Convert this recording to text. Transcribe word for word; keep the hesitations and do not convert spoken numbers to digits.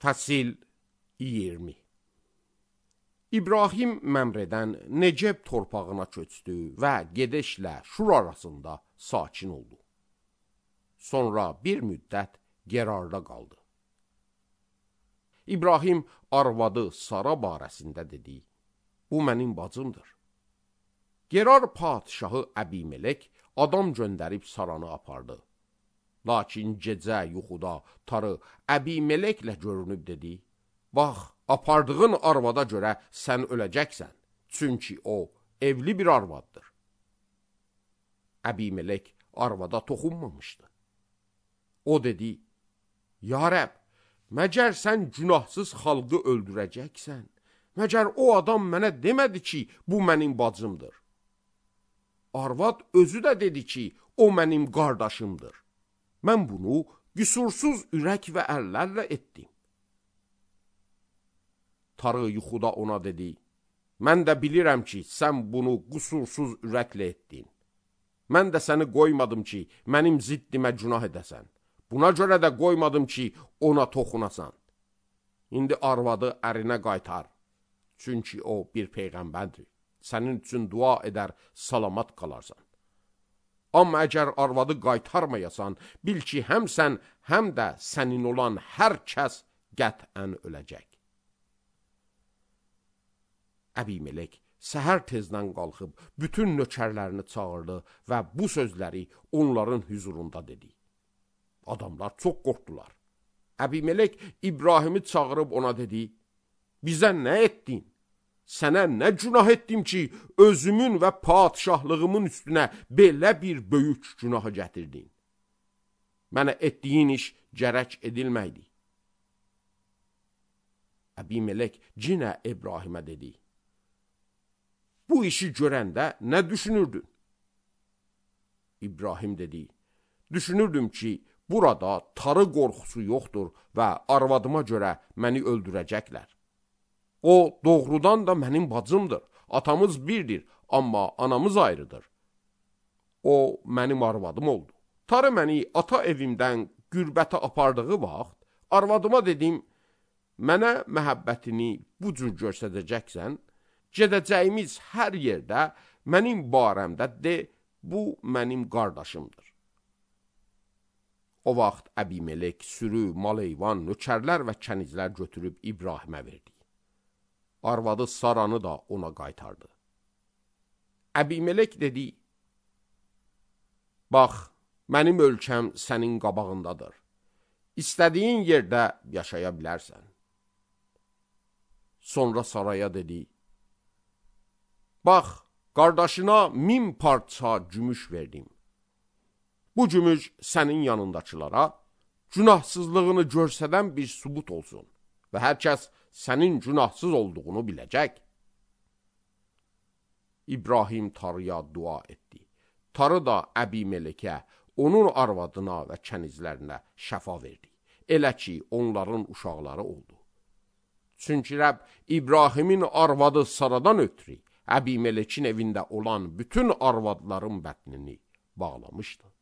Fəsil iyirmi. İbrahim Məmrədən Neceb torpağına köçdü və gedişlə Şur arasında sakin oldu. Sonra bir müddət Gerarda qaldı. İbrahim arvadı Sara barəsində dedi, bu mənim bacımdır. Gerar padişahı Əbimelek adam göndərib Saranı apardı. Lakin gecə yuxuda tarı Əbimeleklə görünüb dedi, bax, apardığın arvada görə sən öləcəksən, çünki o evli bir arvaddır. Əbimelek arvada toxunmamışdı. O dedi, ya Rəbb, məgər sən günahsız xalqı öldürəcəksən, məgər o adam mənə demədi ki, bu mənim bacımdır. Arvad özü də dedi ki, o mənim qardaşımdır. Mən bunu qüsursuz ürək və əllərlə etdim. Tarı yuxuda ona dedi, mən də bilirəm ki, sən bunu qüsursuz ürəklə etdin. Mən də səni qoymadım ki, mənim ziddimə günah edəsən. Buna görə də qoymadım ki, ona toxunasan. İndi arvadı ərinə qaytar, çünki o bir peyğəmbərdir. Sənin üçün dua edər, salamat qalarsan. Amma əgər arvadı qaytarmayasan, bil ki, həm sən, həm də sənin olan hər kəs qətən öləcək. Əbimelek səhər tezdən qalxıb, bütün nökərlərini çağırdı və bu sözləri onların hüzurunda dedi. Adamlar çox qorxdular. Əbimelek İbrahimi çağırıb ona dedi, bizə nə etdin? Sənə nə günah etdim ki, özümün və padişahlığımın üstünə belə bir böyük günahı gətirdin? Mənə etdiyin iş gərək edilməkdi. Əbimelek cinə İbrahimə dedi, bu işi görəndə nə düşünürdün? İbrahim dedi, düşünürdüm ki, burada tarı qorxusu yoxdur və arvadıma görə məni öldürəcəklər. O doğrudan da mənim bacımdır, atamız birdir, amma anamız ayrıdır. O mənim arvadım oldu. Tarı məni ata evimdən qürbətə apardığı vaxt, arvadıma dedim, mənə məhəbbətini bu cür göstərəcəksən, gedəcəyimiz hər yerdə mənim barəmdə de, bu mənim qardaşımdır. O vaxt Əbimelek sürü, mal-heyvan, nökərlər və kənizlər götürüb İbrahimə verdi. Arvadı Saranı da ona qaytardı. Əbimelek dedi, bax, mənim ölkəm sənin qabağındadır. İstədiyin yerdə yaşaya bilərsən. Sonra Saraya dedi, bax, qardaşına min parça gümüş verdim. Bu gümüş sənin yanındakılara günahsızlığını görsədən bir sübut olsun və hər kəs sənin günahsız olduğunu biləcək. İbrahim tarıya dua etdi. Tarı da Əbimelekə, onun arvadına və kənizlərinə şəfa verdi. Elə ki, onların uşaqları oldu. Çünki Rəbb İbrahimin arvadı Saradan ötürü Əbimelekin evində olan bütün arvadların bətnini bağlamışdı.